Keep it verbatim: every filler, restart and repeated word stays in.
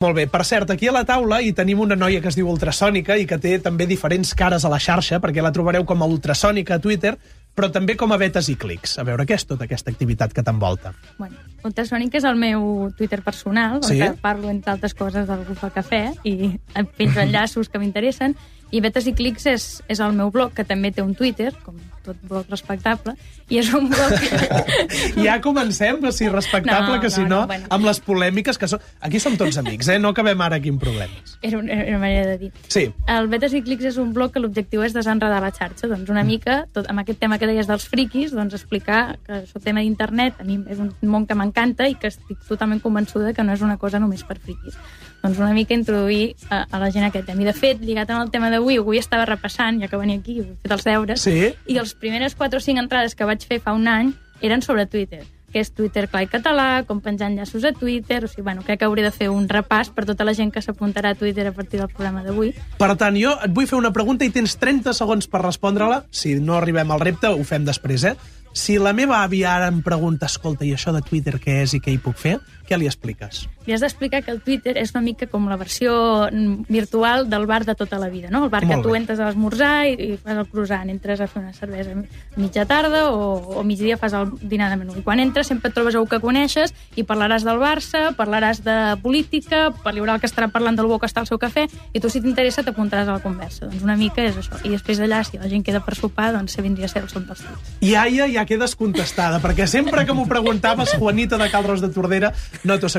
Molt bé, per cert, aquí a la taula hi tenim una noia que es diu Ultrasònica i que té també diferents cares a la xarxa, perquè la trobareu com a Ultrasònica a Twitter, però també com a Vetes i Clics. A veure, què és tota aquesta activitat que t'envolta? Bueno, Ultrasònica és el meu Twitter personal, Sí? on parlo, entre altres coses, del Bufa Cafè, i penjo enllaços que m'interessen, i Vetes i Clics és, és el meu blog, que també té un Twitter, com tot blog respectable, i és un blog... Ja comencem, si respectable, No, que si no, no, no, bueno. amb les polèmiques que són... Aquí som tots amics, eh? No acabem ara aquí amb problemes. Era una, era una manera de dir. Sí. El Vetes i Clics és un blog que l'objectiu és desenredar la xarxa. Doncs una mica, tot, amb aquest tema que deies dels friquis, doncs explicar que això tema d'internet a mi és un món que m'encanta i que estic totalment convençuda que no és una cosa només per friquis. Doncs una mica introduir a, a la gent aquest tema. I de fet, lligat amb el tema d'avui, avui estava repassant, ja que venia aquí, he fet els deures, Sí. i les primeres quatre o cinc entrades que vaig fer fa un any eren sobre Twitter, que és Twitter clar i català, com penjar enllaços a Twitter, o sigui, bueno, crec que hauré de fer un repàs per tota la gent que s'apuntarà a Twitter a partir del programa d'avui. Per tant, jo et vull fer una pregunta i tens trenta segons per respondre-la. Si no arribem al repte, ho fem després, eh? Si la meva àvia ara em pregunta, escolta, i això de Twitter què és i què hi puc fer? Què li expliques? Li has d'explicar que el Twitter és una mica com la versió virtual del bar de tota la vida, no? El bar Molt que tu bé. entres a l'esmorzar i, i fas el croissant, entres a fer una cervesa a mitja tarda o, o migdia fas el dinar de menú. I quan entres sempre et trobes algú que coneixes i parlaràs del Barça, parlaràs de política, hi haurà el que estarà parlant del bo que està al seu cafè, i tu, si t'interessa, t'apuntaràs a la conversa. Doncs una mica és això. I després d'allà, si la gent queda per sopar, doncs se vindria a ser el son dels tuits. I Aia ja quedes contestada, perquè sempre que m'ho preguntaves, Juanita de Cal Ros de Tordera, no t'ho sabia.